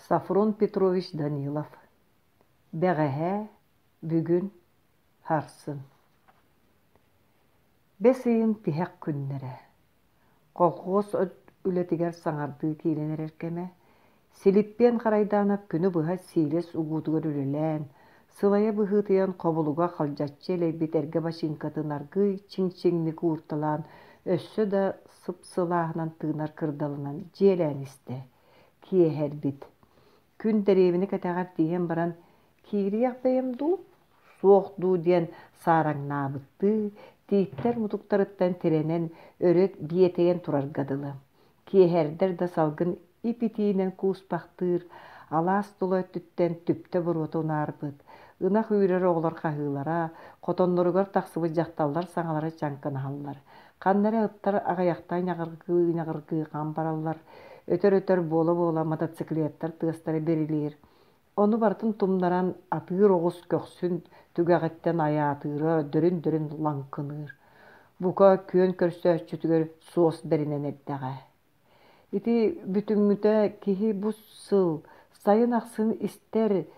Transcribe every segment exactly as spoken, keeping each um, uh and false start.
Софрон Петрович Данилов. Бэҕэһээ, бүгүн, сарсын. Бэс ыйын тиһэх күннэрэ. Колхуос үлэтигэр саҥардыы киирэн эрэр кэмэ. Силиппиэн Харайдаанап күнү быһа сиилэс угуутугар үлэлээн, сылайа быһыытыйан хобулуга халдьаччы элэйбит эргэ бачыыҥкатын аргыый чиҥ-чиҥник уурталаан, өссө да сып-сылааһынан тыынар кырдалынан дьиэлээн истэ. Киэһэрбит. Күн дэриэбинэ кэтэҕэр тиийэн баран, киириэх бэйэм дуу, суох дуу диэн саараҥнаабыттыы, тииттэр мутуктарыттан тирэнэн өрө биэтэйэн турарга дылы. Киэһэрдэр да салгын ип-итиинэн кууспахтыыр, алаас тула өттүттэн түптэ буруота унаарбыт, ынах үүрэр оҕолор хаһыылара, хотонноругар тахсыбыт дьахталлар саҥалара чаҥкынаһаллар. Ханна эрэ ыттар аҕыйахта ньаҕыргыы-ньаҕыргыы хам бараллар, өтөр-өтөр буола-буола мотоциклеттар тыастара бирилиир. Ону барытын тумнаран атыыр оҕус көхсүн түгэҕиттэн айаатыыра дөрүн-дөрүн лаҥкыныыр. Бука күөн көрсөөччүтүгэр суос бэринэн эрдэҕэ. Ити бүтүҥҥүтэ киһи бу сыл сайын ахсын истэр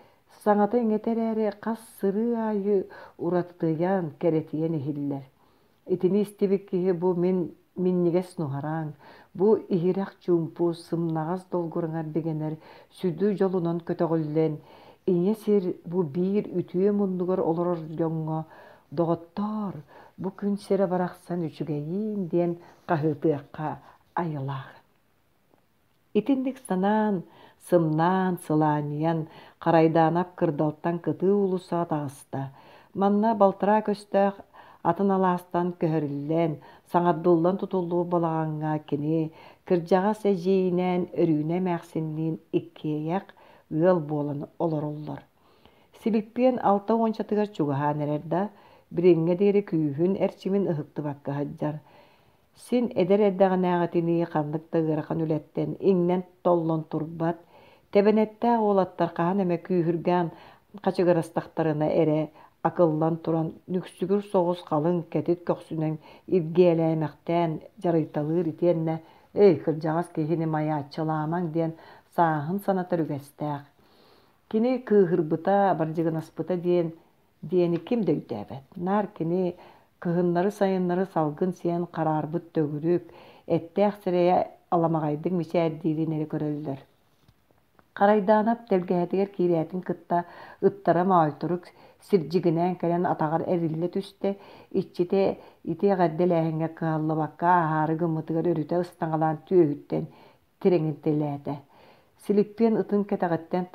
саҥата-иҥэтэ эрээри хас сырыы аайы уратытыйан, кэрэтийэн иһиллэр. Итини истибит киһи бу мин минньигэс нуһараҥ, бу иһирэх чуумпу, сымнаҕас долгураҥар бигэнэр сүдү дьолунан көтөҕүллэн, ийэ сир бу биир үтүө муннугар олорор дьоҥҥо «Доҕоттоор, бу күн сирэ барахсан үчүгэйиин» диэн хаһыытыахха айылаах. Итинник санаан, сымнаан, сылаанньыйан, Харайдаанап кырдалтан кытыы уулуссаҕа таҕыста. Манна балтараа көстөөх атын алаастан көһөрүллэн, саҥардыллан тутуллубут балаҕаҥҥа кини кырдьаҕас эдьиийинээн Өрүүнэ эмээхсинниин иккиэйэх ыал буолан олороллор. Силиппиэн алта уончатыгар чугаһаан эрэр да, билиҥҥэ диэри күүһүн эрчимин ыһыктыбакка сылдьар. Син эдэр эрдэҕинээҕитинии ханнык да ыарахан үлэттэн иҥнэн-толлон турбат, тэбэнэттээх уолаттар хаһан эмэ күүһүргээн хачыгырастахтарына эрэ акыллан туран нүксүгүр соҕус халыҥ кэтит көхсүнэн илгиэлээмэхтээн дьарыйталыыр итиэннэ «Эй, кырдьаҕас киһини майааччылаамаҥ» диэн сааһын санатар үгэстээх. Кини кыыһырбыта, бардьыгынаспыта диэн диэни ким да өйдөөбөт. Наар кини кыһыннары-сайыннары салгын сиэн хараарбыт төгүрүк, эттээх сирэйэ аламаҕайдык мичээрдиирин эрэ көрөллөр. Харайдаанап тэлгэһэтигэр киирээтин кытта ыттара Моойторук сирдьигинээн кэлэн атаҕар эриллэ түстэ, иччитэ ити эҕэрдэлээһиҥҥэ кыһаллыбакка ааһаары гыммытыгар өрүтэ ыстаҥалаан түөһүттэн тирэҥинтэлээтэ. Силиппиэн ытын кэтэҕиттэн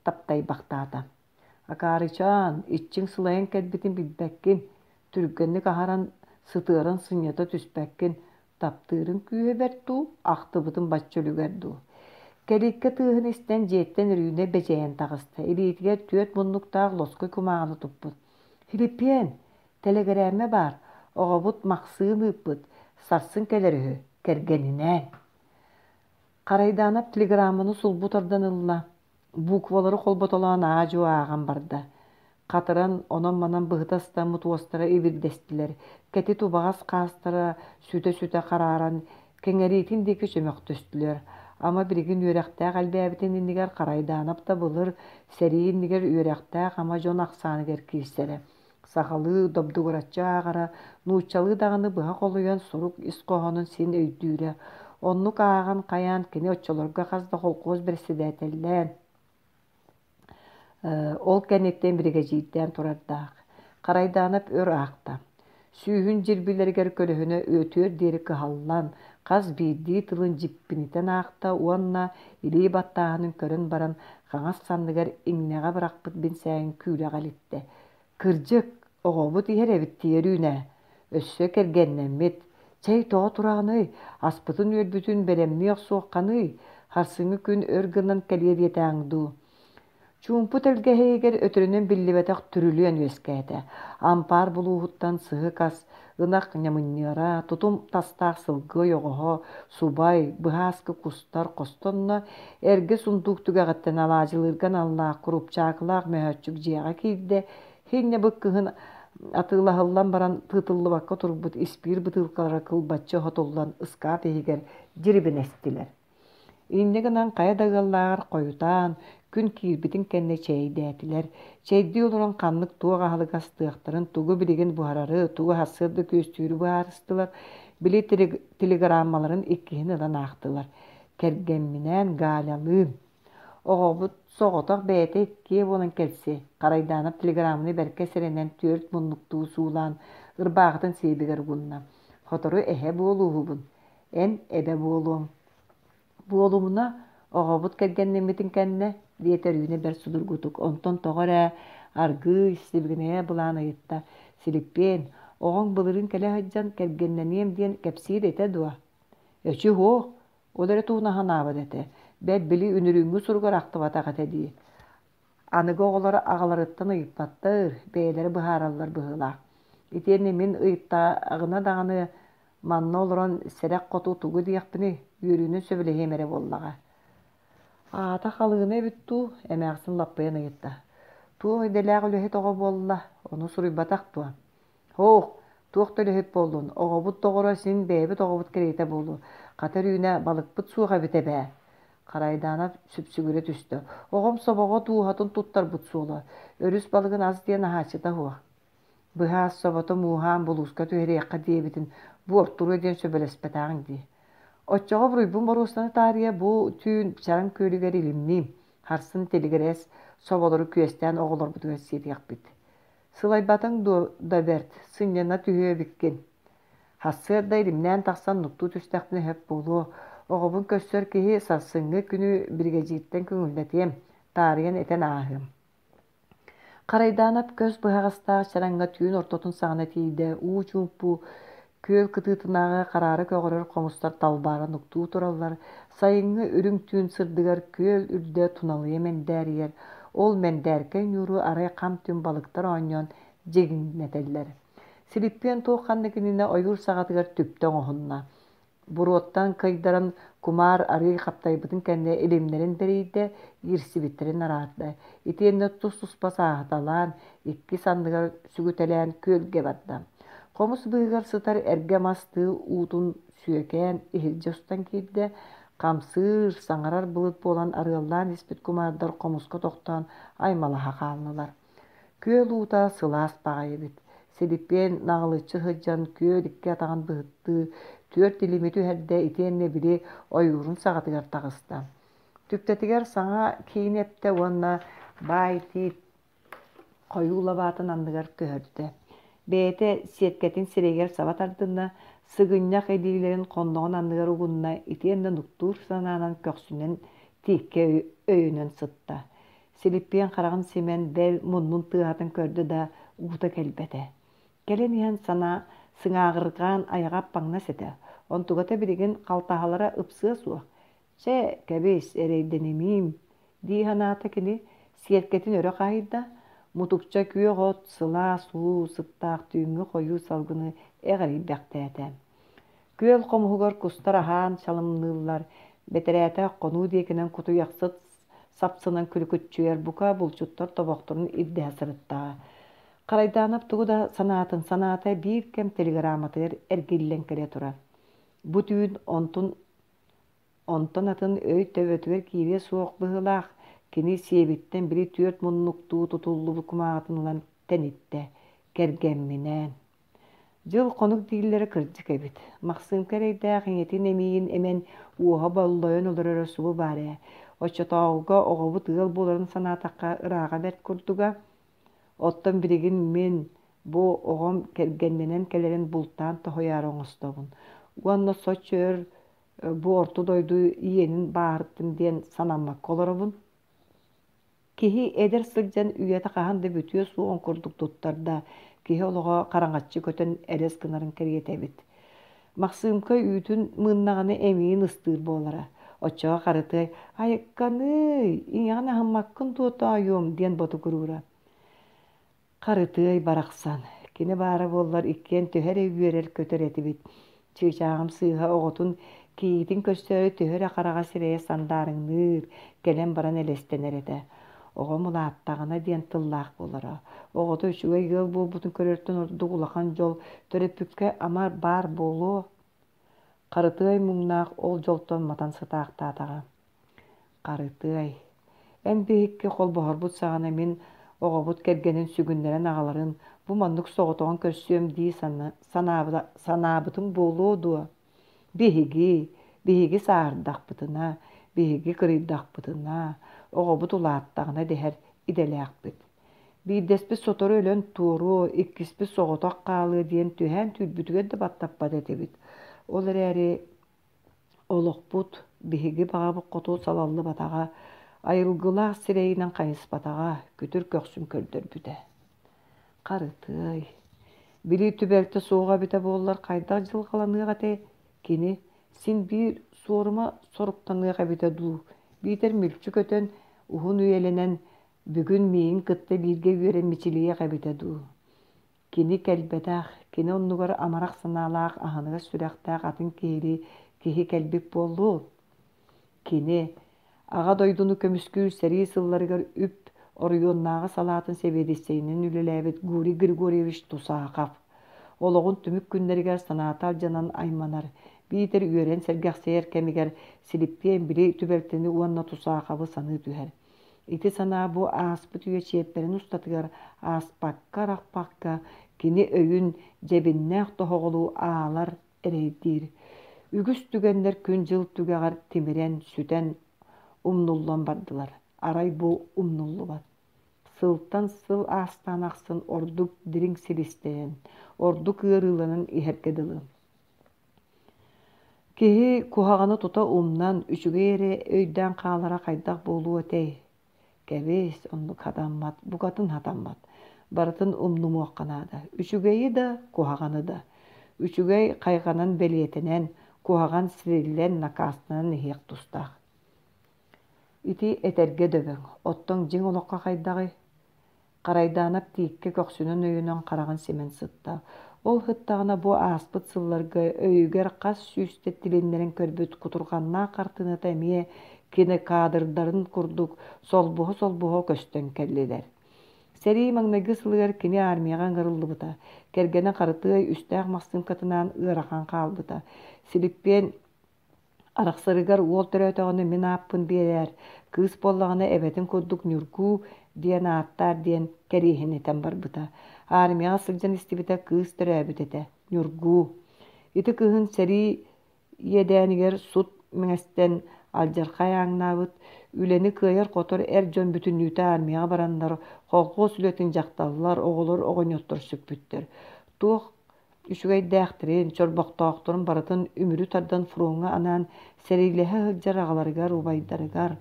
таптайбахтаата. Акаарычаан, иччиҥ сылайан кэлбитин билбэккин, түргэнник аһаран сытыаран сынньата түспэккин, таптыырыҥ күүһэ бэрт дуу, ахтыбытын бачча үлүгэр дуу. Кэлииккэ тыаһын истэн дьиэттэн Өрүүнэ бэдьэйэн таҕыста, илиитигэр түөрт муннуктаах лоскуй кумааҕыны туппут. «Филиппиэн, тэлэгирээммэ баар, оҕобут Махсыын ыыппыт, сарсын кэлэр үһү, кэргэнинээн». Харайдаанап телеграмманы сулбу тардан ылла, буквалары холботолоон аа-дьуо ааҕан барда. Хатыран, онон-манан быһыта ыстаммыт уостара ибирдэстилэр, кэтит убаҕас хаастара сүтэ-сүтэ харааран, кэҥэриитин диэки чөмөхтөстүлэр. Ама билигин үөрэхтээх элбээбитин иннигэр Харайдаанап да былыр сэрии иннигэр үөрэхтээх ама дьон ахсааныгар киирсэрэ. Сахалыы добдугураччы ааҕара, нууччалыы даҕаны быһа холуйан сурук ис хоһоонун син өйдүүрэ. Оннук ааҕан хайаан кини оччолорго хас да холкуос бэрэссэдээтэллээн, ол кэнниттэн биригэдьиирдээн турардаах. Харайдаанап өр аахта. Сүүһүн дьирбилэригэр көлөһүнэ үөтүөр диэри кыһаллан, хас биирдии тылын дьиппинитэн аахта уонна илии баттааһынын көрөн баран хаҥас санныгар иҥнэҕэ бырахпыт бинсээгин күүлэҕэ илиттэ. Кырдьык, оҕобут иһэр эбит дии Өрүүнэ. Өссө кэргэннэммит. Чэй тоҕо тураҕыный, аспытын-үөлбүтүн бэлэмнии охсуохханый, сарсыҥҥы күн өр гынан кэлиэ диэтэҕиҥ дуу. Чуумпу тэлгэһэ иһигэр өтөрүнэн биллибэтэх түрүлүөн үөскээтэ. Ампаар булууһуттан сыһык ас, ынах ньамынньыара, тутум тастаах сылгы ойоҕоһо, субай, быһааскы кустар хостонно, эргэ сундуук түгэҕиттэн алаадьылыырга аналлаах курупчаакылаах мөһөөччүк дьиэҕэ киирдэ, хинньабыт кыһын атыылаһыллан баран тыытыллыбакка турбут испиир бытыылкалара кылбаччы оһотуллан ыскаап иһигэр дьирибинэстилэр. Инньэ гынан хайа да ыаллааҕар хойутаан, күн киирбитин кэннэ чэйдээтилэр. Чэйдии олорон ханнык туох аһылык астыахтарын, тугу билигин буһарары, тугу сарсыарда күөстүүрү быһаарыстылар. Били телеграммаларын иккиһин ылан аахтылар. Кэргэмминээн Галялыын. Оҕобут соҕотох бэйэтэ иккиэ буолан кэлси. Харайдаанап телеграмманы бэркэ сэрэнэн түөрт муннуктуу суулаан ырбаахытын сиэбигэр угунна. Сотору эһэ буолууһубун, эн эбэ буолуоҥ. Буолумуна, оҕобут кэргэннэммитин кэннэ, диэтэ Өрүүнэ бэрт судургутук. Онтон тоҕо эрэ аргыый, сибигинэйэ былаан ыйытта. Силиппиэн, оҕоҥ былырыын кэлэ сылдьан кэргэннэниэм диэн кэпсиир этэ дуо? Эчи суох, ол эрэ туһунан санаабат этэ. Бэл, били үнүрүүҥҥү суругар ахтыбатах этэ дии. Аныгы оҕолор аҕаларыттан ыйыппаттар, бэйэлэрэ быһаараллар быһыылаах. Итиэннэ мин ыйыттаҕына даҕаны манна олорон сэрэх хоту тугу диэхпиний, үөрүүнэн сөбүлэһиэм эрэ буоллаҕа. Аата халыына эбит дуу, эмээхсин лаппыйан ыйытта. Туох идэлээх үлэһит оҕо буолла, ону суруйбатах дуо? Һоох, туох да үлэһит буоллун, оҕобут доҕоро син бэйэбит оҕобут кэриэтэ буолуо. Хата Өрүүнэ, балыкпыт суох эбит эбээ. Харайдаанап сүпсүгүрэ түстэ. Оҕом собоҕо дууһатын туттарбыт суола. Өрүс балыгын ас диэн аһааччыта суох. Быһаас собото мууһаан булууска түһэриэххэ диэбитин буортуруо диэн сөбүлэспэтэҕиҥ дии. Оччоҕо буруйбун боруостана таарыйа бу түүн Чараҥ күөлүгэр илимниим, харсын тилигирэс соболору күөстээн оҕолорбутугар сиэтиэхпит. Сылайбатыҥ дуо да бэрт, сынньана түһүө эбиккин. Сарсыарда илимнээн тахсан нуктуу түстэхпинэ сөп буолуо. Оҕобун көрсөр киһи сарсыҥҥы күнү биригэдьииртэн көҥүллэтиэм, таарыйан этэн ааһыам. Харайдаанап көс быһаҕастаах чараҥҥа түүн ортотун саҕана тиийдэ, уу чуумпу күөл кытыытынааҕы хараара көҕөрөр хомустар талбаара нуктуу тураллар, сайыҥҥы үрүҥ түүн сырдыгар күөл үрдэ туналыйа мэндээрийэр, ол мэндээркэй ньууру арай хам-түм балыктар оонньоон дьигиҥнэтэллэр. Силиппиэн туох ханнык иннинэ ойуур саҕатыгар түптэ оҥоһунна. Буруоттан кыйдаран кумаар арыы хаптайбытын кэннэ илимнэрин бэрийдэ, иирсибиттэрин араарда. Итиэннэ тус-туспа сааһыталаан, икки санныгар сүгүтэлээн күөлгэ барда. Хомус быыһыгар сытар эргэ мас тыы уутун сүөкээн иһирдьэ устан киирдэ. Хамсыыр, саҥарар былыт буолан арыаллаан испит кумаардар хомуска тохтоон аймалаһа хааллылар. Күөл уута сылаас баҕайы эбит. Силиппиэн наҕылыччы сылдьан күөл икки атаҕын быһыттыы түөрт илими түһэрдэ итиэннэ били ойуурун саҕатыгар таҕыста. Түптэтигэр саҥа киин эптэ уонна баай тиит хойуу лабаатын анныгар көһөрдө. Бэйэтэ сиэккэтин сирэйигэр саба тардынна, сыгынньах илиилэрин хонноҕун анныгар угунна итиэннэ нуктуур санаанан көхсүнэн тииккэ өйөнөн сытта. Силиппиэн хараҕын симэн, бэл муннун тыаһатын көрдө да, уута кэлбэтэ. Кэлэн иһэн санаа сыҥааҕырҕаан айаҕа аппаҥнас этэ. Онтугата билигин халтаһалара ыпсыа суох. Чэ, кэбис, эрэйдэнимиим, дии санаата кини, сиэркэтин өрө хаһыйда, мутукча күөх от, сылаас уу сыттаах түүҥҥү хойуу салгыны эҕэрийбэхтээтэ. Күөл хомуһугар кустар аһаан чалымныыллар, бэтэрээтэ хонуу диэкинэн кутуйахсыт сапсынан күлүкүччүйэр бука булчуттар тобохторун ирдэһэ сырыттаҕа. Харайдаанап тугу да санаатын санаата биир кэм телеграмматыгар эргиллэн кэлэ турар. Бу түүн онтун онтон атын өй төбөтүгэр киириэ суох быһыылаах, кини сиэбиттэн били түөрт муннуктуу тутуллубут кумааҕытын ылан тэниттэ. Кэргэмминээн. Дьыл-хонук дииллэрэ кырдьык эбит. Махсыымка эрэйдээх ийэтин эмиийин эмэн уоһа боллойон олороро субу баар ээ. Оччотооҕуга оҕобут ыал буоларын санаатахха ырааҕа бэрт курдуга. Оттон билигин мин бу оҕом кэргэннэнэн кэлэрин бултаан тоһуйаары оҥостобун. Уонна соччо өр бу орто дойду иэнин бааһыртым диэн санаммакка олоробун. Киһи эдэр сылдьан үйэтэ хаһан да бүтүө суоҕун курдук туттар да, киһи олоҕо хараҥаччы көтөн элэс гынарын кэриэтэ эбит. Махсыымка үүтүн мыыннаҕына эмиийин ыстыыр буолара. Оччоҕо Харытыай «Айыкканыый, ийэҕин аһыммаккын дуо тоойуом» диэн ботугуруура. Харытыай барахсан, кини баара буоллар иккиэн төһө эрэ үөрэр-көтөр этибит. Чыычааҕым сыыһа оҕотун кийиитин көрсөөрү төһө эрэ хараҕа сирэйэ сандаарыҥныыр, кэлэн баран элэстэнэр этэ. Оҕом улааттаҕына диэн тыллаах буолара. Оҕото үчүгэй ыал буолбутун көрөртөн ордук улахан дьол төрөппүккэ ама баар буолуо. Харытыай муҥнаах ол дьолтон матан сытаахтаатаҕа. Харытыай, эн биһикки холбоһорбут саҕана мин оҕобут кэргэнин сүгүннэрэн аҕаларын бу маннык соҕотоҕун көрсүөм дии санаабытым буолуо дуо? Биһиги, биһиги сааһырдахпытына, биһиги кырыйдахпытына, оҕобут улааттаҕына дэһэр идэлээхпит. Биирдэспит сотору өлөн туоруо, иккиспит соҕотох хаалыа диэн түһээн түүрбүтүгэр да баттаппат этибит. Ол эрээри олохпут биһиги баҕабыт хоту салаллыбатаҕа, айылгылаах сирэйинэн хайыспатаҕа, күтүр көхсүн көрдөрбүтэ. Харытыай, били түбэлтэ суоҕа эбитэ буоллар хайдах дьылҕаланыах этэй? Кини син биир суорума соруктаныах эбитэ дуу, биитэр мүлчү көтөн, уһун үйэлэнэн, бүгүн миигин кытта бииргэ үөрэн мичилийиэх эбитэ дуу? Кини кэлбэтэх, кини оннугар амарах санаалаах, аһыныгас сүрэхтээх атын киһилии киһи кэлбит буоллун. Кини Аҕа дойдуну көмүскүүр сэрии сылларыгар үп оройуоннааҕы салаатын сэбиэдиссэйинэн үлэлээбит Гурий Григорьевич Тусахов. Олоҕун түмүк күннэригэр санаата алдьанан айманар, биитэр үөрэн сэргэхсийэр кэмигэр Силиппиэн били түбэлтэни уонна Тусаховы саныы түһэр. Ити санаа бу ааспыт үйэ чиэппэрин устатыгар ааспакка-арахпакка кини өйүн дьэбиннээх тоһоҕолуу аалар, эрэйдиир. Үгүс түгэннэр күн-дьыл түгэҕэр тимирэн, сүтэн, умнуллан бардылар. Арай бу умнуллубат. Сылтан сыл аастаан ахсын ордук дириҥ силистэнэн, ордук ыарыыланан иһэргэ дылы. Киһи куһаҕаны тута умнан, үчүгэй эрэ өйдөөн хаалара хайдах буолуо этэй? Кэбис, оннук хатаммат, букатын хатаммат. Барытын умнумуохха наада. Үчүгэйи да, куһаҕаны да. Үчүгэй хайҕанан бэлиэтэнэн, куһаҕан сириллэн, накаастанан иһиэх тустаах. Ити этэргэ дөбөҥ. Оттон дьиҥ олоххо хайдаҕый? Харайдаанап тииккэ көхсүнэн өйөнөн хараҕын симэн сытта. Ол сыттаҕына бу ааспыт сылларга өйүгэр хас сүүстэ тилиннэрэн көрбүт кутурҕаннаах хартыыната эмиэ кинокадрдарын курдук солбуһа-солбуһа көстөн кэллилэр. Сэрии маҥнайгы сылыгар кини армияҕа ыҥырыллыбыта. Кэргэнэ Харытыай үстээх Махсыыҥкатынаан ыарахан хаалбыта. Силиппиэн арахсарыгар уол төрөөтөҕүнэ мин ааппын биэрээр, кыыс буоллаҕына эбэтин курдук Ньургуу диэн ааттаар диэн кэриэһин этэн барбыта. Армияҕа сылдьан истибитэ кыыс төрөөбүт этэ, Ньургуу. Ити кыһын сэрии иэдээнигэр сут мэҥэстэн алдьархай ааҥнаабыт, үлэни кыайар-хотор эр дьон бүтүннүүтэ армияҕа бараннар, колхуос үлэтин дьахталлар, оҕолор, оҕонньоттор сүкпүттэр. Туох үчүгэйдээхтэрин, чорбохтоохторун барытын үмүрү тардан фроҥҥа анаан сэриилэһэ сылдьар аҕаларыгар, убайдарыгар,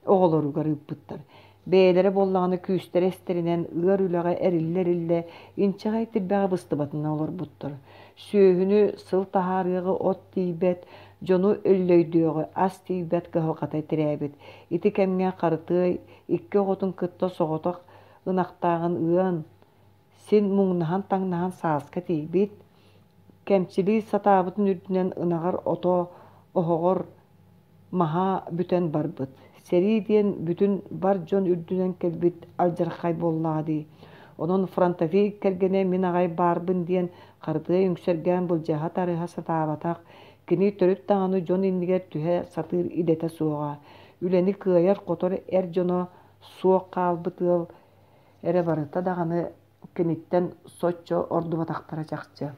оҕолоругар ыыппыттар. Бэйэлэрэ буоллаҕына күүстэрэ эстэринэн ыар үлэҕэ эриллэ-эриллэ инчэҕэй тирбэҕэ быстыбатынан олорбуттар. Сүөһүнү сыл таһаарыаҕы от тиийбэт, дьону өллөйдүөҕү ас тиийбэт кыһалҕата тирээбит. Ити кэмҥэ Харытыай икки оҕотун кытта соҕотох ынахтааҕын ыан, син муҥнаһан-таҥнаһан сааска тиийбит, кэмчилии сатаабытын үрдүнэн ынаҕар ото оһоҕор маһа бүтэн барбыт. Сэрии диэн бүтүн бар дьон үрдүнэн кэлбит алдьархай буоллаҕа дии. Онон фронтовик кэргэнэ мин аҕай баарбын диэн Харытыай үҥсэргээн былдьаһа-тарыһа сатаабатах, кини төрүт даҕаны дьон иннигэр түһэ сатыыр идэтэ суоҕа. Үлэни кыайар-хотор эр дьоно суох хаалбыт ыал эрэ барыта даҕаны киниттэн соччо ордубатахтара чахчы.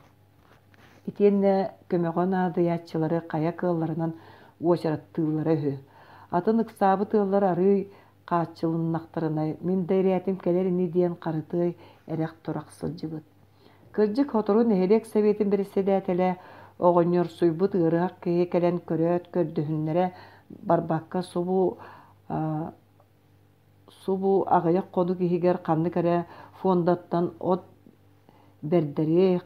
Итиэннэ көмөҕө наадыйааччылары хайа кыалларынан уочараттыыллара үһү. Атын ыксаабыт ыаллар арыый хааччылыннахтарына, мин да ирээтим кэлэр ини диэн Харытыай эрэх-турах сылдьыбыт. Кырдьык, сотору нэһилиэк сэбиэтин бэрэссэдээтэлэ оҕонньорсуйбут ыарыһах киһи кэлэн көрөөт көрдөһүннэрэ барбакка субу субу аҕыйах хонук иһигэр ханнык эрэ фондаттан от бэрдэриэх,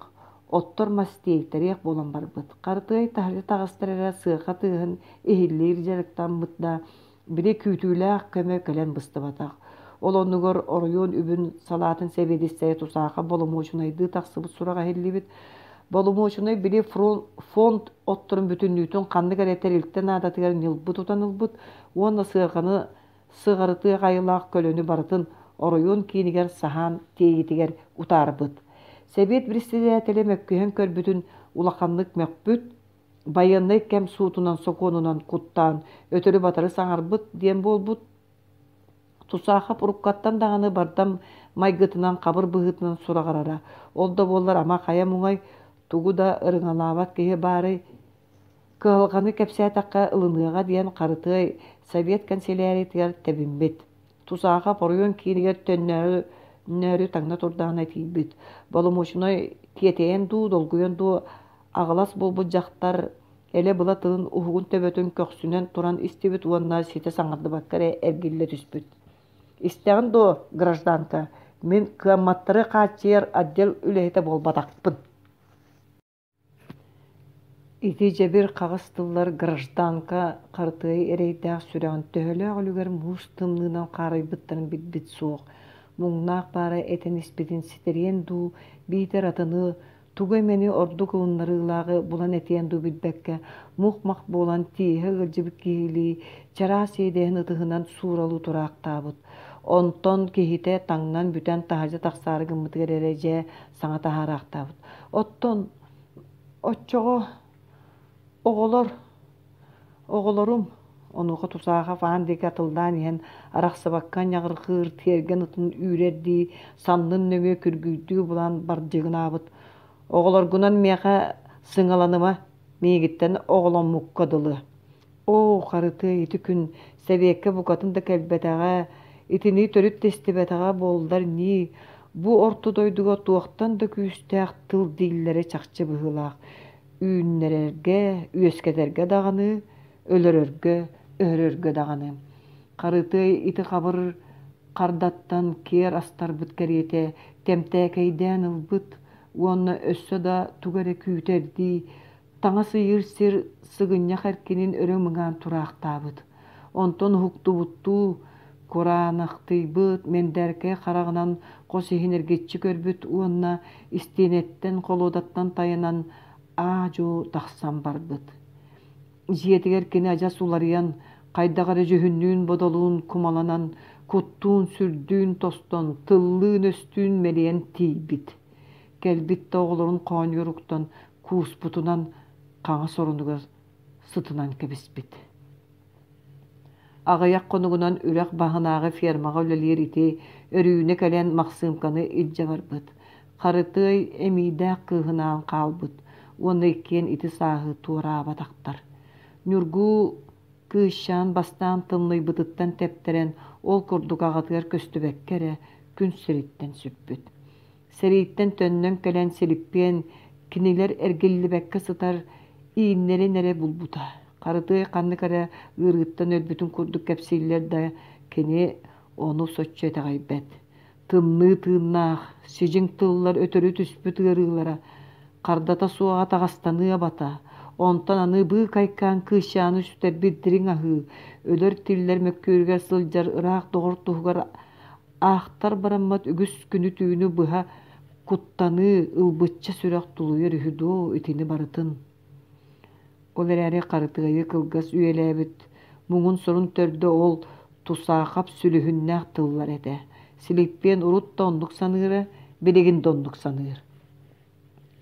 оттор мас тиэйтэриэх буолан барбыт. Харытыай таһырдьа таҕыстар эрэ сыарҕа тыаһын иһиллиир дьарыктаммыт да, били күүтүүлээх көмө кэлэн быстыбатах. Ол оннугар оройуон үбүн салаатын сэбиэдиссэйэ Тусаахап боломуочунайдыы тахсыбыт сураҕа иһиллибит. Боломуочунай били фонд отторун бүтүннүүтүн ханнык эрэ тэрилтэ наадатыгар ньылбы тутан ылбыт уонна сыарҕаны сыҕарытыах айылаах көлөнү барытын оройуон киинигэр саһаан тиэйиитигэр утаарбыт. Сэбиэт председателэ мөккүһэн көрбүтүн улаханнык мөхпүт, Байыаннай кэм суутунан сокуонунан куттаан өтөрү-батары саҥарбыт диэн буолбут. Тусаахап уруккаттан даҕаны бардам майгытынан хабыр быһыытынан сураҕырара. Ол да буоллар ама хайа муҥай тугу да ырыҥалаабат киһи баарый? Кыһалҕаны кэпсээтэххэ ылыныаҕа диэн Харытыай совет кэнсэлээрийтигэр тэбиммит. Тусаахап оройуон киинигэр төннөөрү таҥна турдаҕына тиийбит. Боломуочунай тиэтэйэн дуу, долгуйан дуу аҕылас буолбут дьахтар элэ-была тылын уһугун төбөтүн көхсүнэн туран истибит уонна ситэ саҥардыбакка эрэ эргиллэ түспүт. Истэҕин дуо, гражданка, мин кыамматтары хааччыйар отдел үлэһитэ буолбатахпын. Ити дьэбир хаҕыс тыллар гражданка Харытыай эрэйдээх сүрэҕин төһөлөөх үлүгэр муус тымныынан хаарыйбыттарын билбит суох. Муҥнаах баара этэн испитин ситэриэн дуу, биитэр атыны, тугу эмэни ордук ылыннарыылааҕы булан этиэн дуу билбэккэ, мух-мах буолан тииһэ ыалдьыбыт киһилии чараас иэдэһин ытыһынан сууралыы тураахтаабыт. Онтон киһитэ таҥнан бүтэн таһырдьа тахсаары гыммытыгар эрэ дьэ саҥа таһаараахтаабыт. Оттон оччоҕо оҕолор, оҕолорум онуоха Тусаахов аан диэки атыллаан иһэн арахсыбакка ньаҕырҕыыр тиэргэн ытын үүрэрдии саннын нөҥүө күргүйдүү булан бардьыгынаабыт. Оҕолоргунан миэхэ сыҥаланыма, миигиттэн оҕоломмукка дылы. Оо, Харытыай ити күн сэбиэккэ букатын да кэлбэтэҕэ, итини төрүт да истибэтэҕэ буоллар ньии, бу орто дойдуга туохтан да күүстээх тыл дииллэрэ чахчы быһыылаах. Үүннэрэргэ, үөскэтэргэ даҕаны, өлөрөргө, өһөрөргө даҕаны. Харытыай ити хабыр хардаттан киэр астарбыт кэриэтэ тэмтээкэйдээн ылбыт уонна өссө да тугу эрэ күүтэрдии таҥас ыйыыр сир сыгынньах эркинин өрө мыҥаан тураахтаабыт. Онтон уһуктубуттуу кураанахтыйбыт мэндээркэй хараҕынан хос иһин эргиччи көрбүт уонна истиэнэттэн холуодаттан тайанан аа-дьуо тахсан барбыт. Дьиэтигэр кини адьас уларыйан, хайдах эрэ дьүһүннүүн-бодолуун кумаланан, куттуун-сүрдүүн тостон, тыллыын-өстүүн мэлийэн тиийбит. Кэлбит да оҕолорун хоонньугар уктан, кууспутунан хаҥас оронугар сытынан кэбиспит. Аҕыйах хонугунан үрэх баһынааҕы фермаҕа үлэлиир ити Өрүүнэ кэлэн Махсыымканы илдьэ барбыт. Харытыай эмиийдээх кыыһынаан хаалбыт уонна иккиэн ити сааһы туораабатахтар. Ньургуу кыысчаан бастаан тымныйбытыттан тэптэрэн, ол курдук аҕатыгар көстүбэккэ эрэ күн сириттэн сүппүт. Сэрииттэн төннөн кэлэн Силиппиэн кинилэр эргиллибэккэ сытар ииннэрин эрэ булбута. Харытыай ханнык эрэ ыарыыттан өлбүтүн курдук кэпсииллэр да, кини ону соччо итэҕэйбэт. Тымныы тыыннаах, сидьиҥ тыллар өтөрү түспүт ыарыылара, хардата суоҕа таҕастаныы абата, онтон аны быыкайкаан кыысчааны сүтэрбит дириҥ аһыы, өлөр-тиллэр мөккүөрүгэр сылдьар ыраах доҕор туһугар аахтар бараммат үгүс күнү-түүнү быһа куттаныы, ылбычча сүрэх тулуйар үһү дуо итини барытын. Ол эрээри Харытыайы кылгас үйэлээбит муҥун-сорун төрдө ол Тусаахап сүлүһүннээх тыллар этэ. Силиппиэн урут да оннук саныыра, билигин да оннук саныыр.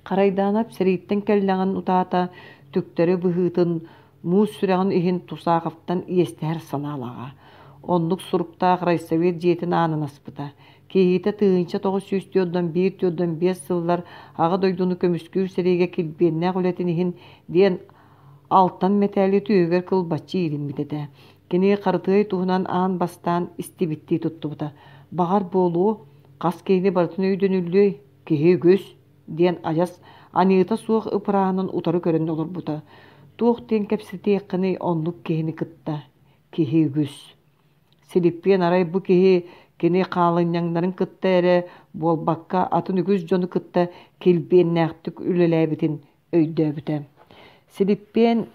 Харайдаанап сэрииттэн кэллэҕин утаата түктэри быһыытын муус сүрэҕин иһин Тусааховтан иэстэһэр санаалааҕа. Оннук суруктаах райсовет дьиэтин аанын аспыта. Киһитэ тыһыынча тоҕус сүүс түөрт биир түөрт биэс сыллар Аҕа дойдуну көмүскүүр сэриигэ килбиэннээх үлэтин иһин диэн алтан мэтээли түөһүгэр кылбаччы иилиммит этэ. Кини Харытыай туһунан аан бастаан истибиттии туттубута. Баҕар буолуо, хас киһини барытын өйдөнүллүөй, киһи үгүс диэн адьас аньыыта суох ыпырааһынын утары көрөн олорбута. Туох диэн кэпсэтиэххиний оннук киһини кытта? Киһи үгүс. Силиппиэн арай бу киһи кини хаалынньаҥнарын кытта эрэ буолбакка атын үгүс дьону кытта килбиэннээхтик үлэлээбитин өйдөөбүтэ. Силиппиэн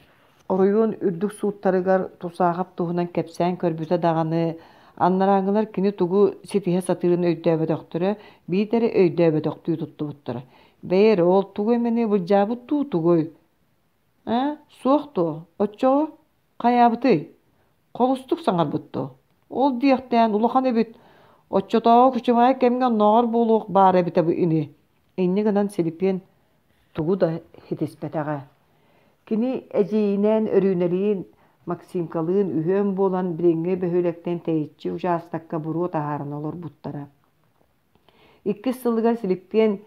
оройуон үрдүк сууттарыгар Тусаахап туһунан кэпсээн көрбүтэ даҕаны, анарааҥҥылар кини тугу ситиһэ сатыырын өйдөөбөтөхтөрө, биитэр өйдөөбөтөхтүү туттубуттара. Бэйэ эрэ ол тугу эмэни былдьаабыт дуу тугуй? Ээ, суох дуо? Оччоҕо хайаабытый? Холустук саҥарбыт дуо? Ол диэхтээн улахан эбит. Оччотооҕу күчүмэҕэй кэмҥэ оннооҕор буолуох баар эбитэ ини. Инньэ гынан Силиппиэн тугу да ситиспэтэҕэ. Кини эдьиийинээн Өрүүнэлиин, Максимкалыын үһүөн буолан билиҥҥи бөһүөлэктэн тэйиччи учаастакка буруо таһааран олорбуттара. Иккис сылыгар Силиппиэн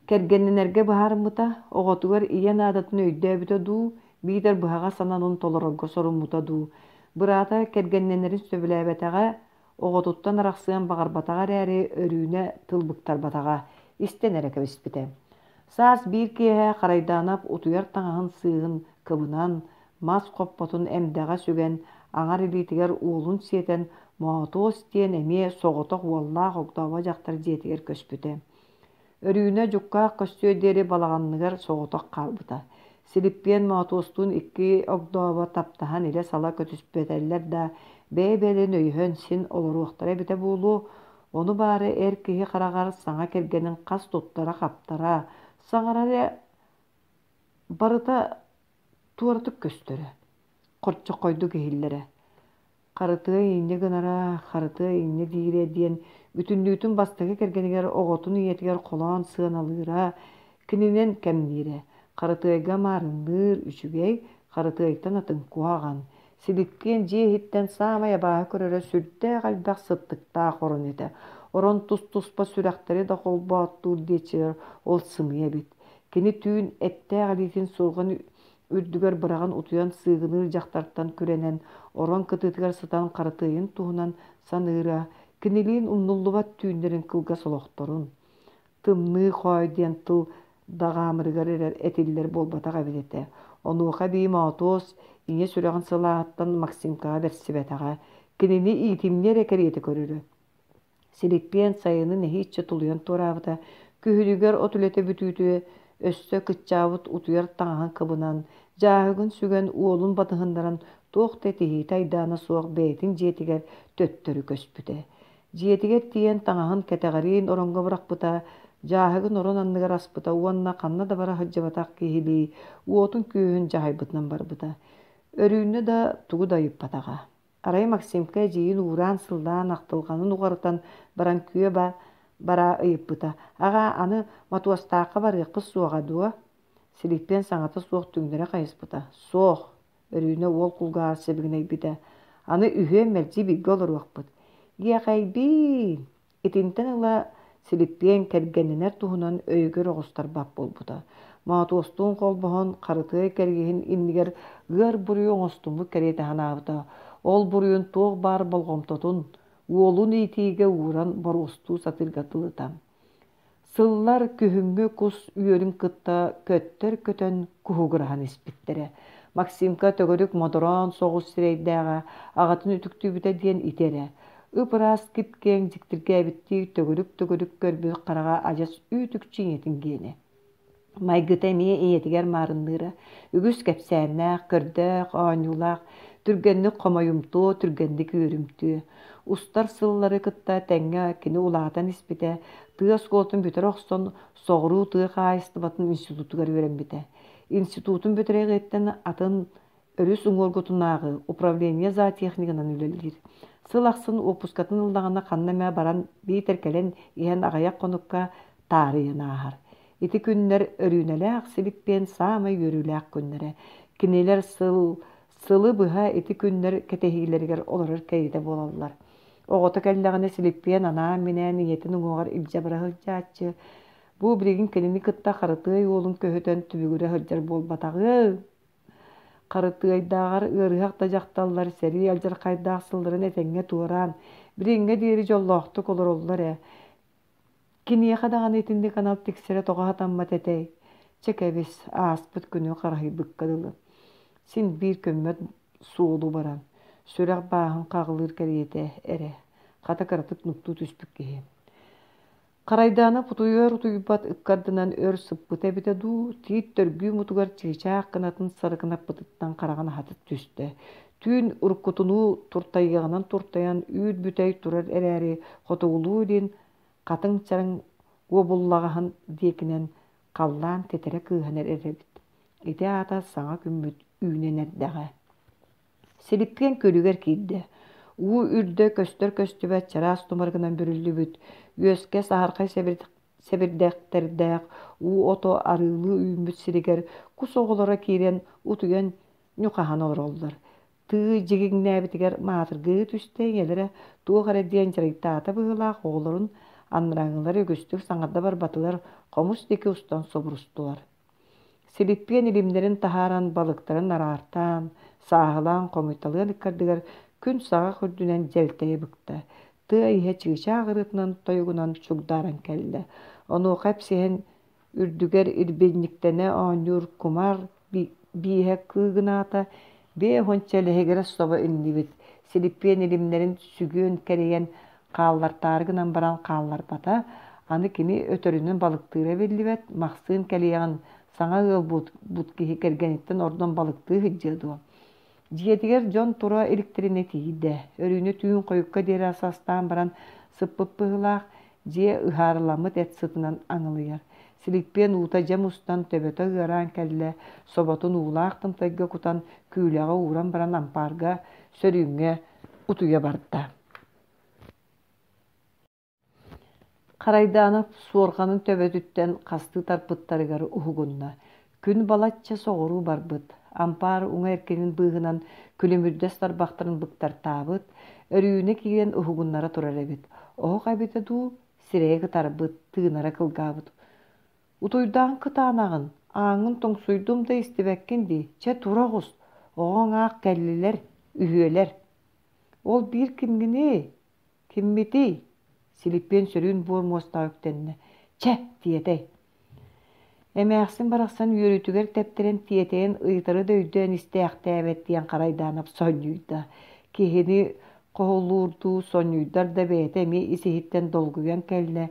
кэргэннэнэргэ быһаарыммыта, оҕотугар ийэ наадатын өйдөөбүтэ дуу, биитэр быһаҕас сананын толорорго соруммута дуу. Быраата кэргэннэнэрин сөбүлээбэтэҕэ, оҕотуттан арахсыан баҕарбатаҕа эрээри, Өрүүнэ тыл быктарбатаҕа, истэн эрэ кэбиспитэ. Саас биир киэһэ Харайдаанап утуйар таҥаһын сыыһын кыбынан, мас хоппотун эмдэҕэ сүгэн, аҥар илиитигэр уолун сиэтэн, Моотуос диэн эмиэ соҕотох уоллаах огдообо дьахтар дьиэтигэр көспүтэ. Өрүүнэ дьуккаах көстүө диэри балаҕаныгар соҕотох хаалбыта. Силиппиэн Моотуостуун икки огдообо таптаһан илэ-сала көтүспэтэллэр да, бэйэ-бэйэлэрин өйөһөн син олоруохтара эбитэ буолуо. Ону баара эр киһи хараҕар саҥа кэргэнин хас туттара-хаптара, саҥарара барыта туоратык көстөрө, хорчоххойдук иһиллэрэ. Харытыай инньэ гынара, харытыай инньэ диирэ диэн бүтүннүүтүн бастакы кэргэнигэр оҕотун ийэтигэр холоон сыаналыыра, кининэн кэмниирэ. Харытыайга маарынныыр үчүгэй, харытыайтан атын куһаҕан. Силиппиэн дьиэ иһиттэн саамай абааһы көрөрө сүрдээх элбэх сыттыктаах орон этэ. Орон тус-туспа сүрэхтэри да холбооттуур диэччилэр ол сымыйа эбит. Кини түүн эттээх илиитин суорҕан үрдүгэр быраҕан утуйан сыыгыныыр дьахтартан күрэнэн, орон кытыытыгар сытан харытыайын туһунан саныыра, кинилиин умнуллубат түүннэрин кылгас олохторун. Тымныы хоой диэн тыл даҕаамырыгар эрэ этиллэр буолбатах эбит этэ. Онуоха эбии Моотуос ийэ сүрэҕин сылааһыттан Максимкаҕа бэрсибэтэҕэ, кинини иитимньи эрэ кэриэтэ көрөрө. Силиппиэн сайыны нэһииччэ тулуйан туораабыта, күһүнүгэр от үлэтэ бүтүүтэ өссө кыччаабыт утуйар таҥаһын кыбынан, дьааһыгын сүгэн уолун батыһыннаран туох да этиһиитэ-айдаана суох бэйэтин дьиэтигэр төттөрү көспүтэ. Дьиэтигэр тиийэн таҥаһын кэтэҕэриин ороҥҥо бырахпыта, дьааһыгын орон анныгар аспыта уонна ханна да бара сылдьыбатах киһилии уотун-күөһүн дьаһайбытынан барбыта. Өрүүнэ да тугу да ыйыппатаҕа. Арай Максимка эдьиийин уураан-сыллаан ахтылҕанын уҕарытан баран күө бараа ыйыппыта: «Аҕаа, аны Мотуостаахха барыахпыт суоҕа дуо?» Силиппиэн саҥата суох түҥнэри хайыспыта: «Суох», Өрүүнэ уол кулгааҕар сибигинэйбитэ: «Аны үһүөн мэлдьи бииргэ олоруохпут». «Иэхэйбиин!» Итинтэн ыла Силиппиэн кэргэннэнэр туһунан өйүгэр оҕустарбат буолбута. Моотуостуун холбоһон, Харытыай кэргиһин иннигэр ыар буруйу оҥостуммут кэриэтэ санаабыта. Ол буруйун туох баар болҕомтотун уолун иитиигэ ууран боруостуу сатыырга дылыта. Сыллар күһүҥҥү кус үөрүн кытта көттөр көтөн куһугураһан испиттэрэ. Максимка төгүрүк модороон соҕус сирэйдээҕэ, аҕатын үтүктүүбүтэ диэн ити эрэ. Ып-ыраас кип-киэҥ дьиктиргээбиттии төгүрүк-төгүрүк көрбүт хараҕа адьас үүт-үкчү ийэтин гиэнэ. Майгыта эмиэ ийэтигэр маарынныыра. Үгүс кэпсээннээх, көрдөөх, оонньуулаах, түргэнник хомойумтуо, түргэнник үөрүмтүө. Устар сыллары кытта тэҥҥэ кини улаатан испитэ, тыа оскуолатын бүтэрэ охсон, соҕуруу тыа хаһаайыстыбатын институтугар үөрэммитэ. Институтун бүтэриэҕиттэн атын өрүс уҥуоргутунааҕы управление зоотехнигынан үлэлиир. Сыл ахсын уоппускатын ыллаҕына ханна эмэ баран биитэр кэлэн иһэн аҕыйах хонукка таарыйан ааһар. Ити күннэр Өрүүнэлээх Силиппиэн саамай үөрүүлээх күннэрэ. Кинилэр сыл сылы быһа ити күннэр кэтэһиилэригэр олорор кэриэтэ буолаллар. Оҕото кэллэҕинэ Силиппиэн анаан-минээн ийэтин уҥуоҕар илдьэ бара сылдьааччы. Бу билигин кинини кытта Харытыай уолун көһүтэн түбүгүрэ сылдьар буолбатаҕын. Харытыайдааҕар ыарыһах да дьахталлар сэрии алдьархайдаах сылларын этэҥҥэ туораан, билиҥҥэ диэри дьоллоохтук олороллор ээ. Киниэхэ даҕаны итинник анал тиксэрэ тоҕо сатаммат этэй? Чэ кэбис, ааспыт күнү хараһыйбыкка дылы. Син биир көммөт суолу баран, сүрэх бааһын хаҕылыыр кэриэтэ эрэ, хата кыратык нуктуу түспүт киһи. Харайдаана утуйар утуйбат ыккардынан өр сыппыта эбитэ дуу, тиит төргүү мутугар чыычаах кынатын сарыкынаппытыттан хараҕын аһата түстэ. Түүн уруккутунуу туртайыаҕынан туртайан үүт бүтэй турар эрээри, хотугулуу-илин хатыҥ чараҥ уобуллаҕаһын диэкинэн халлаан тэтэрэ кыыһан эрэр эбит. Ити аата саҥа күммүт үүнэн эрдэҕэ. Силиппиэн күлүгэр киирдэ. Уу үрдэ көстөр-көстүбэт чараас тумарыгынан бүрүллүбүт, үөскэ саһархай сэбирдэхтэрдээх уу ото арыылыы үүммүт сиригэр кус оҕолоро киирэн утуйан ньухаһан олороллор. Тыы дьигиҥнээбитигэр маатыргыы түстэ, ийэлэрэ туох эрэ диэн дьарыйтаата быһыылаах оҕолорун анарааҥҥылар үгүстүк саҥарда барбатылар, хомус диэки устан субурустулар. Силиппиэн илимнэрин таһааран, балыктарын араартаан, сааһылаан хомуйталыан ыккардыгар күн саҕах үрдүнэн дьэлтэйэ быкта. Тыа иһэ чыычаах ырыатынан тойугунан чугдааран кэллэ. Онуоха эпсиһэн үрдүгэр ирбинньиктэнэ оонньуур кумаар бииһэ кыыгынаата, биэ уонча лэһигирэс собо иҥнибит. Силиппиэн илимнэрин сүгүөн кэрийэн хааллартаары гынан баран хаалларбата. Аны кини өтөрүнэн балыктыыра биллибэт, Махсыын кэлиэҕин саҥа ыал буолбут киһи кэргэниттэн ордон балыктыы сылдьыа дуо? Дьиэтигэр дьон тура иликтэринэ тиийдэ. Өрүүнэ түүн хойукка диэри ас астаан баран сыппыт быһыылаах, дьиэ ыһаарыламмыт эт сытынан аҥылыйар. Силиппиэн уута дьэ мустан, төбөтө ыараан кэллэ, соботун уулаах тымтайга кутан, күүлэҕэ ууран баран ампаарга, сөрүүҥҥэ утуйа барда. Харайдаанап суорҕанын төбөтүттэн хастыы тарпыттарыгар уһугунна. Күн балачча соҕуруу барбыт, ампаар уҥа эркинин быыһынан күлүмүрдэс тарбахтарын быктартаабыт, Өрүүнэ киирэн уһугуннара турар эбит. Оһох эбитэ дуу, сирэйэ кытарбыт, тыынара кылгаабыт. Утуйдаан кытаанаҕын, ааҥҥын тоҥсуйдум да истибэккин дии, чэ тура оҕус, оҕоҥ аах кэллилэр, үһүөлэр. Ол биир кимҥиний, киммитий? Силиппиэн сөрүүн буор муостаҕа үктэннэ. Чэ, тиэтэй. Эмээхсин барахсан үөрүүтүгэр тэптэрэн тиэтэйэн ыйытары да өйдөөн истээхтээбэт диэн Харайдаанап сонньуйда. Киһини хоһулуурдуу сонньуйдар да бэйэтэ эмиэ ис-иһиттэн долгуйан кэллэ.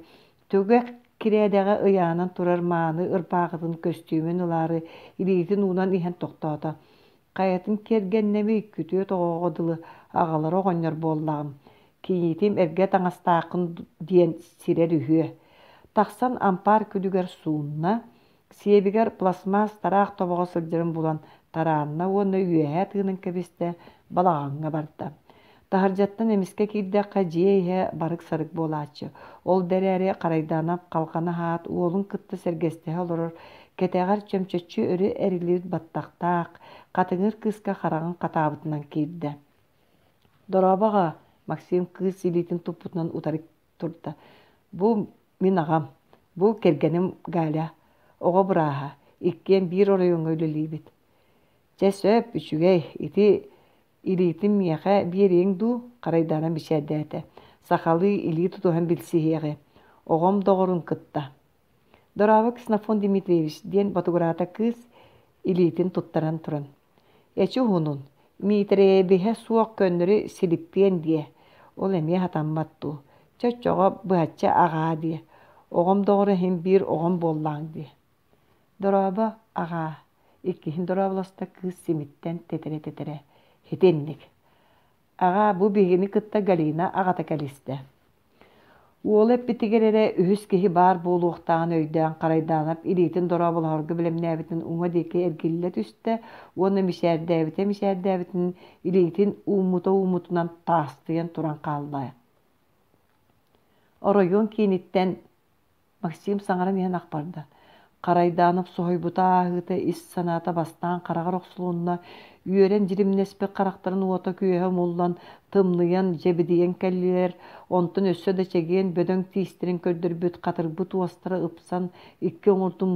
Түгэх кирээдэҕэ ыйаанан турар мааны ырбаахытын көстүүмүн ылаары илиитин уунан иһэн тохтоото. Хайатын киэргэннэмий, күтүөт оҕоҕо дылы аҕалара оҕонньор буоллаҕым. Кийиитим эргэ таҥастааххын диэн сирэр үһүө. Тахсан ампаар күлүгэр суунна, сиэбигэр пластмасс тараах тобоҕо сылдьарын булан тараанна уонна үөһэ тыынан кэбистэ, балаҕаҥҥа барда. Таһырдьаттан эмискэ киирдэххэ дьиэ иһэ барык-сарык буолааччы. Ол да эрээри Харайдаанап халҕаны аһаат, уолун кытта сэргэстэһэ олорор, кэтэҕэр чөмчөччү өрө эриллибит баттахтаах, хатыҥыр кыыска хараҕын хатаабытынан киирдэ. «Дорообо аҕаа!» Максим кыыс илиитин туппутунан утары турда. «Бу мин аҕам, бу кэргэним Галя, оҕо бырааһа, иккиэн биир оройуоҥҥа үлэлиибит. Чэ сөп, үчүгэй, ити илиитин миэхэ биэриэҥ дуу?» Харайдаана мичээрдээтэ. «Сахалыы илии тутуһан билсиһиэҕи, оҕом доҕорун кытта». «Дорообо, Ксенофонт Дмитриевич», диэн ботугураата кыыс илиитин туттаран туран. Эчи уһунун, Миитэрэйэбиһэ суох көннөрү Силиппиэн диэ, ол эмиэ сатаммат дуу, чэ оччоҕо быһаччы аҕаа диэ, оҕом доҕоро иһин биир оҕом буоллаҕыҥ дии. Дорообо, аҕаа, иккиһин дорооболосто кыыс симиттэн тэтэрэ-тэтэрэ, итинник. Аҕаа, бу биһигини кытта Галина аҕата кэлистэ. Уола эппитигэр эрэ үһүс киһи баар буолуохтааҕын өйдөөн Харайдаанап илиитин дорооболоһорго бэлэмнээбитин уҥа диэки эргиллэ түстэ уонна мичээрдээбитэ мичээрдээбитин илиитин ууммута ууммутунан таастыйан туран хаалла. Оройуон кииниттэн Максим саҥаран иһэн ах барда. Харайдаанап соһуйбута ааһыыта ис санаата бастаан хараҕар охсулунна, үөрэн дьиримнэспит харахтарын уота-күөһэ умуллан, тымныйан, дьэбидийэн кэллилэр, онтон өссө да чэгиэн бөдөҥ тиистэрин көрдөрбүт хатырбыт уостара ыпсан, икки оҥордун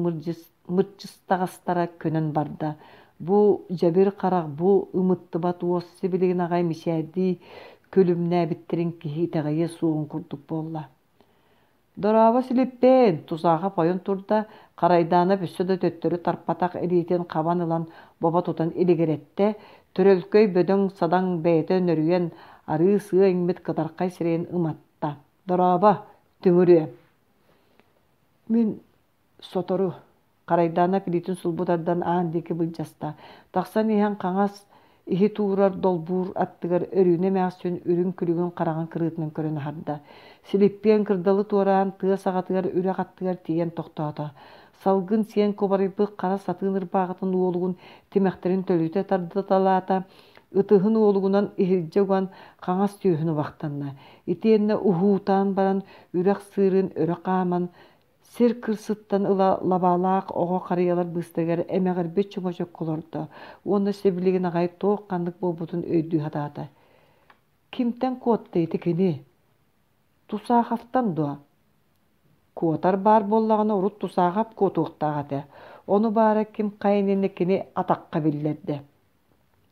мырчыстаҕастара көнөн барда. Бу дьэбир харах, бу ымыттыбат уос сибилигин аҕай мичээрдии күлүмнээбиттэрин киһи итэҕэйиэ суоҕун курдук буолла. Дорообо Силиппээн, тусаахап ойон турда, Харайдаанап өссө да төттөрү тарпатах илиитин хабан ылан бобо тутан илигирэттэ, төрөлкөй бөдөҥ-садаҥ бэйэтэ нөрүйэн, арыы-сыа иҥмит кытархай сирэйин ыматта. Дорообо, түҥүрүө. Мин сотору Харайдаанап илиитин сулбу тардан аан диэки былдьаста. Тахсан иһэн хаҥас иһит уурар долбуур аттыгар Өрүүнэ эмээхсин үрүҥ күлүгүн хараҕын кырыытынан көрөн аһарда. Силиппиэн кырдалы туораан тыа саҕатыгар үрэх аттыгар тиийэн тохтоото. Салгын сиэн кубарыйбыт хара сатыын ырбаахытын уолугун тимэхтэрин төлүтэ тардыталаата, ытыһын уолугунан иһирдьэ уган хаҥас түөһүн убахтанна. Итиэннэ уһуутаан баран үрэх сыырын өрө хааман Сир кырсыттан ыла лабаалаах оҕо харыйалар быыстарыгар эмэҕирбит чөҥөчөккө олордо уонна сибилигин аҕай туох-ханнык буолбутун өйдүү сатаата. Кимтэн куотта ити кини? Тусаховтан дуо? Куотар баар буоллаҕына урут Тусахов куотуохтаах этэ. Ону баара ким хайа иннинэ кини атахха биллэрдэ.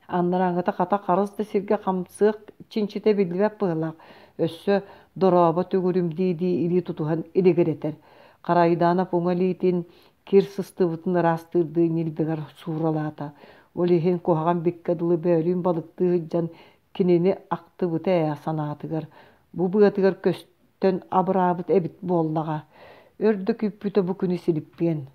Анарааҥҥыта хата харыс да сиргэ хамсыах чинчитэ биллибэт быһыылаах, өссө дорообо түгүрүм дии-дии илии тутуһан илигирэтэр. Харайданов уҥа илиитин кир сыстыбытын ыраастыырдыы ньилбэгэр сууралаата. Ол иһин куһаҕан биккэ дылы бөөлүүн балыктыы сылдьан кинини ахтыбыта ээ санаатыгар. Бу быатыгар көстөн абыраабыт эбит буоллаҕа. Өр да күүппүтэ бу күнү Силиппиэн.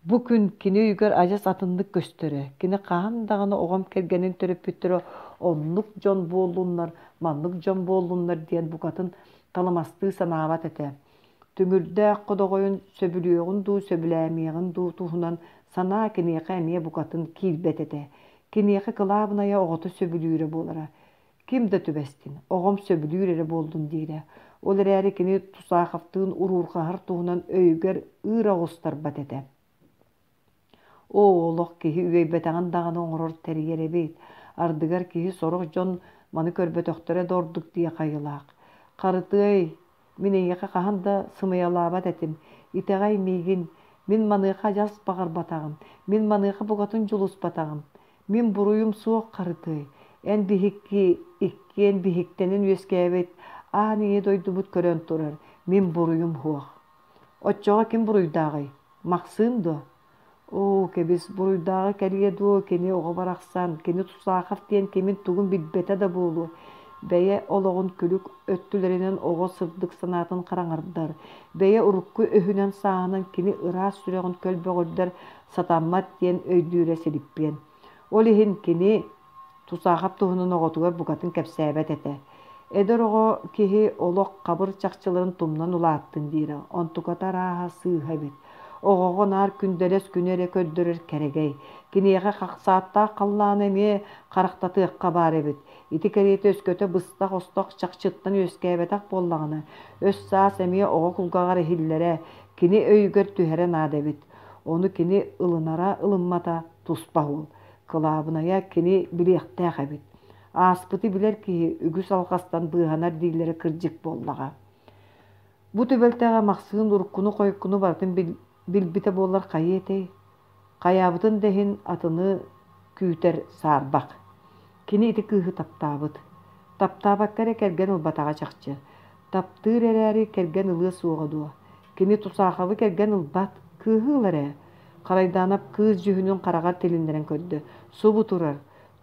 Бу күн кини өйүгэр адьас атыннык көстөрө. Кини хаһан даҕаны оҕом кэргэнин төрөппүттэрэ оннук дьон буоллуннар, маннык дьон буоллуннар диэн букатын талымастыы санаабат этэ. Түҥүрдээх ходоҕойун сөбүлүөҕүн дуу, сөбүлээмиэҕин дуу туһунан санаа киниэхэ эмиэ букатын киирбэт этэ. Киниэхэ кылаабынайа оҕото сөбүлүүрэ буолара. Ким да түбэстин, оҕом сөбүлүүр эрэ буоллун диирэ. Ол эрээри кини Тусаховтыын уруурҕаһар туһунан өйүгэр ыыр оҕустарбат этэ. Оо, олох киһи үөйбэтэҕин даҕаны оҥорор тэрийэр эбит. Ардыгар киһи сорох дьон маны көрбөтөхтөрө да ордук диэх айылаах. Харытыай, мин эйиэхэ хаһан да сымыйалаабат этим. Итэҕэй миигин, мин маныаха адьас баҕарбатаҕым, мин маныаха букатын дьулуспатаҕым. Мин буруйум суох, Харытыай. Эн биһикки иккиэн биһиктэнэн үөскээбит аан ийэ дойдубут көрөн турар, мин буруйум суох. Оччоҕо ким буруйдааҕый? Махсыым дуо? Оо, кэбис, буруйдааҕы кэлиэ дуо, кини оҕо барахсан, кини Тусахов диэн кимин-тугун билбэтэ да буолуо. Бэйэ олоҕун күлүк өттүлэринэн оҕо сырдык санаатын хараҥардар, бэйэ урукку өһүнэн-сааһынан кини ыраас сүрэҕин көлбөҕүрдэр сатаммат диэн өйдүүрэ Силиппиэн. Ол иһин кини Тусахов туһунан оҕотугар букатын кэпсээбэт этэ. Эдэр оҕо киһи олох хабыр чахчыларын тумнан улааттын диирэ, онтуката арааһа сыыһа эбит. Оҕоҕо наар күндэлэс күнү эрэ көрдөрөр кэрэгэй. Киниэхэ хахсааттаах халлааны эмиэ харахтатыахха баар эбит. Ити кэриэтэ өскөтө быстах-остох чахчыттан үөскээбэтэх буоллаҕына, өс-саас эмиэ оҕо кулгааҕар иһиллэрэ, кини өйүгэр түһэрэ наада эбит. Ону кини ылынара ылыммата туспа уол. Кылаабынайа кини билиэхтээх эбит. Ааспыты билэр киһи үгүс алҕастан быыһанар дииллэрэ кырдьык буоллаҕа. Бу түбэлтэҕэ Махсыын уруккуну-хойуккуну барытын билбитэ буоллар хайыа этэй? Хайаабытын да иһин атыны күүтэр саарбах. Кини ити кыыһы таптаабыт. Таптаабакка эрэ кэргэн ылбатаҕа чахчы. Таптыыр эрээри кэргэн ылыа суоҕа дуо? Кини Тусаховы кэргэн ылбат, кыыһы ылар ээ. Харайдаанап кыыс дьүһүнүн хараҕар тилиннэрэн көрдө. Субу турар,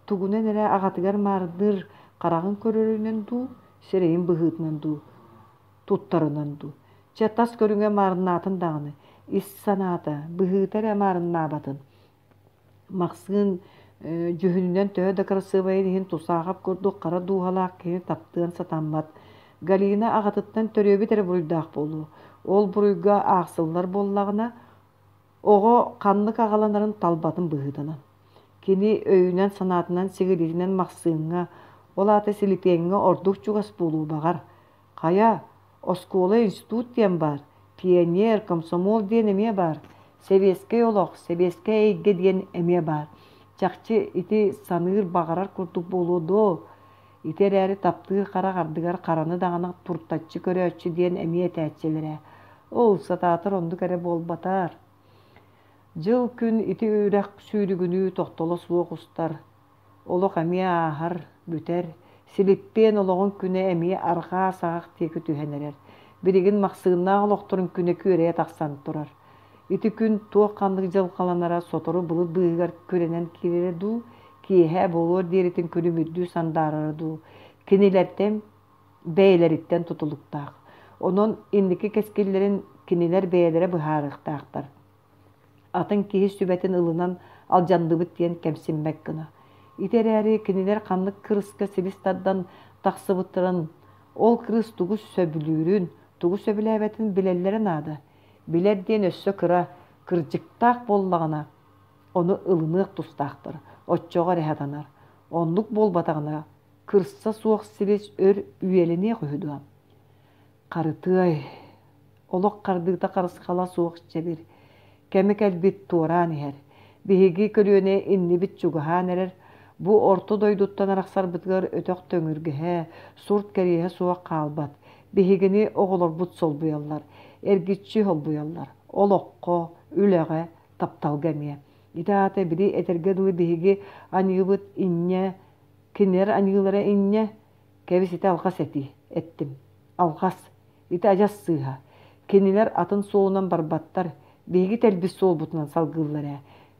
тугунан эрэ аҕатыгар маарынныыр хараҕын көрөрүнэн дуу, сирэйин быһыытынан дуу, туттарынан дуу. Чэ, тас көрүҥэ маарыннаатын даҕаны, ис санаата, быһыыта эрэ маарыннаабатын. Махсыын дьүһүнүнэн төһө да кырасыабайын иһин Тусахов курдук хара дууһалаах киһини таптыан сатаммат. Галина аҕатыттан төрүөбүт эрэ буруйдаах буолуо. Ол буруйга аахсыллар буоллаҕына, оҕо ханнык аҕаланарын талбатын быһыытынан. Кини өйүнэн-санаатынан сигилитинэн Махсыыҥҥа, ол аата Силипиэҥҥэ ордук чугас буолуо баҕар. Хайа, оскуола институт диэн баар, пионер, комсомол диэн эмиэ баар, сэбиэскэй олох, сэбиэскэй эйгэ диэн эмиэ баар. Чахчы ити саныыр баҕарар курдук буолуо дуо? Ити эрээри таптыыр харах ардыгар хараны даҕаны туртаччы көрөөччү диэн эмиэ этээччилэрэ. Ол сатаатар оннук эрэ буолбатар. Дьыл-күн ити үрэх сүүрүгүнүү тохтоло суох устар. Олох эмиэ ааһар, бүтэр. Силиппиэн олоҕун күнэ эмиэ арҕаа саҕах диэки түһэн эрэр. Билигин Махсыыннаах олохторун күнэ күөрэйэ тахсан турар. Ити күн туох-ханнык дьылҕаланара сотору былыт быыһыгар күрэнэн киирэрэ дуу, киэһэ буолуор диэритин күлүмүрдүү сандаарара дуу, кинилэртэн бэйэлэриттэн тутулуктаах. Онон инники кэскиллэрин кинилэр бэйэлэрэ быһаарыахтаахтар. Атын киһи сүбэтин ылынан алдьанныбыт диэн кэмсиммэт гына. Ити эрээри кинилэр ханнык кырыска силис тардан тахсыбыттарын, ол кырыс тугу сөбүлүүрүн, тугу сөбүлээбэтин билэллэрэ наада. Билэр диэн өссө кыра, кырдьыктаах буоллаҕына, ону ылыныах тустаахтар, оччоҕо эрэ сатанар. Оннук буолбатаҕына, кырса суох силис өр үйэлэниэх үһү дуо? Харытыай, Олох хардыыта харысхала суох чэбир. Кэмэ кэлбит туораан иһэр. Биһиги көлүөнэ иннибит чугаһаан эрэр. Бу орто дойдуттан арахсарбытыгар өтөх төҥүргэһэ, сурт кэриэһэ суох хаалбат. Биһигини оҕолорбут солбуйаллар. Эргиччи солбуйаллар. Олоххо, үлэҕэ, тапталга эмиэ. Ити аата били этэргэ дылы биһиги аньыыбыт инньэ, кинилэр аньыылара инньэ. Кэбис ити алҕас этии, эттим. Алҕас. Ити адьас сыыһа. Кинилэр атын суолунан барбаттар, биһиги тэлбит суолбутунан салгыыллар ээ.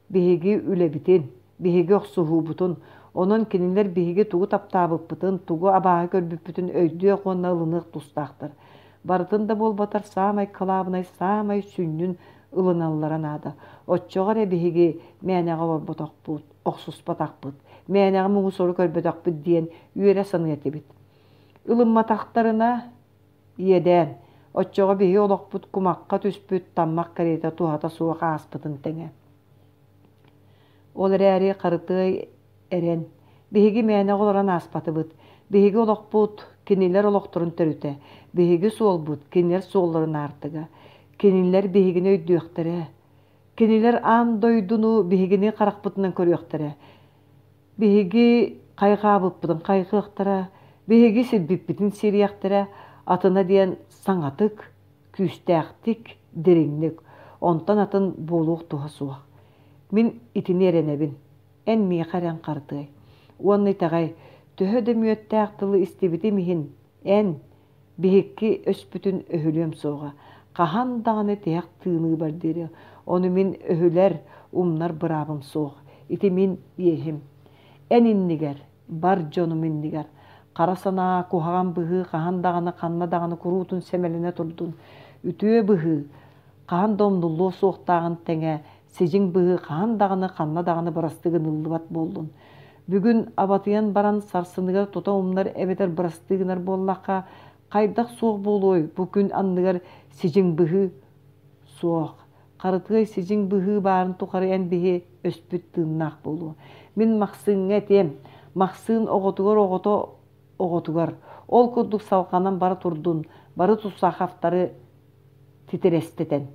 Биһиги үлэбитин, биһиги охсуһуубутун. Онон кинилэр биһиги тугу таптаабыппытын, тугу абааһы көрбүппүтүн өйдүөх уонна ылыныах тустаахтар. Барытын да буолбатар саамай кылаабынай, саамай сүнньүн ылыналлара наада. Оччоҕо эрэ биһиги мээнэҕэ олорботохпут, охсуспатахпыт, мээнэҕэ муҥу-сору көрбөтөхпүт диэн үөрэ саныа этибит. Ылымматахтарына иэдээн. Оччоҕо биһиги олохпут кумахха түспүт таммах кэриэтэ туһата суох ааспытын тэҥэ. Ол эрээри Харытыай эрэн, биһиги мээнэҕэ олорон ааспатыбыт. Биһиги олохпут кинилэр олохторун төрүтэ, биһиги суолбут кинилэр суолларын аартыга. Кинилэр биһигини өйдүөхтэрэ. Кинилэр аан дойдуну биһигини харахпытынан көрүөхтэрэ. Биһиги хайҕаабыппытын хайҕыахтара, биһиги сирбиппитин сириэхтэрэ, атына диэн саҥатык, күүстээхтик, дириҥник, онтон атын буолуох туһа суох. Мин итини эрэнэбин. Эн миэхэ эрэн Харытыай. Уонна итэҕэй, төһө да мүөттээх тылы истибитим иһин, эн, биһикки өспүтүн өһүлүөм суоҕа. Хаһан даҕаны тиһэх тыыныыбар диэри. Ону мин өһүлэр, умнар быраабым суох. Ити мин иэһим. Эн иннигэр, бар дьонум иннигэр. Хара санаа, куһаҕан быһыы хаһан даҕаны ханна даҕаны куруутун сэмэлэнэ турдун. Үтүө быһыы хаһан да умнуллуо суохтааҕын тэҥэ, сидьиҥ быһыы хаһан даҕаны ханна даҕаны бырастыы гыныллыбат буоллун. Бүгүн абатыйан баран сарсыныгар тута умнар эбэтэр бырастыы гынар буоллахха, хайдах суох буолуой бу күн анныгар сидьиҥ быһыы? Суох. Харытыай сидьиҥ быһыы баарын тухары эн биһи өспүт тыыннаах буолуо. Мин Махсыыҥҥа этиэм. Махсыын оҕотугар оҕото оҕотугар. Ол курдук салҕанан бара турдун, бары Тусаховтары титирэстэтэн.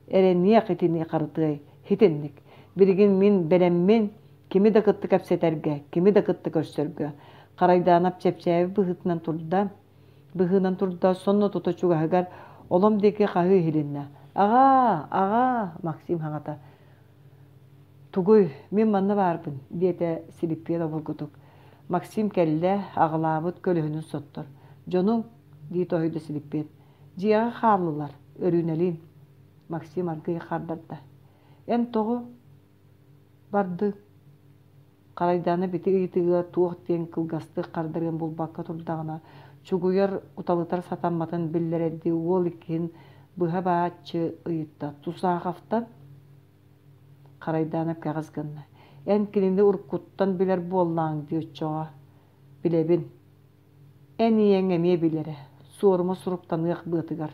Эрэниэх итини Харытыай, итинник. Билигин мин бэлэммин кими да кытта кэпсэтэргэ, кими да кытта көрсөргө. Харайдаанап чэпчээбит быһыытынан турда, быһыынан турда, сонно тута чугаһыгар олом диэки хаһыы иһилиннэ. Аҕаа, аҕаа, Максим хаҥата. Тугуй, мин манна баарбын, диэтэ Силиппиэн обургутук. Максим кэллэ, аҕылаабыт көлөһүнүн соттор. Дьонуҥ, дии тоһуйда Силиппиэн. Дьиэҕэ хааллылар, Өрүүнэлиин. Максим аргыый хардарда. Эн тоҕо бардыҥ? Харайдаана ити ыйытыыга туох диэн кылгастык хардарыан булбакка турдаҕына, чугуйар, уталытар сатамматын биллэрэрдии уол иккиһин быһа бааччы ыйытта. Тусаховтан? Харайдаана кэҕис гынна. Эн кинини уруккуттан билэр буоллаҕыҥ дии оччоҕо. Билэбин. Эн ийэҥ эмиэ билэрэ. Суорума суруктаныах быатыгар.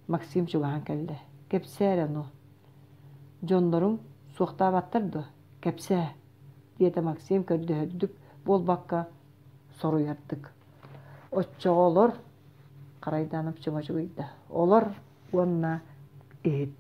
Максим чугаһаан кэллэ. Кэпсээ эрэ ону. Дьонноруҥ суохтаабаттар дуо? Кэпсээ, диэтэ Максим көрдөһөрдүк буолбакка соруйардык. Оччоҕо олор, Харайдаанап чума чугуйда. Олор уонна иһит.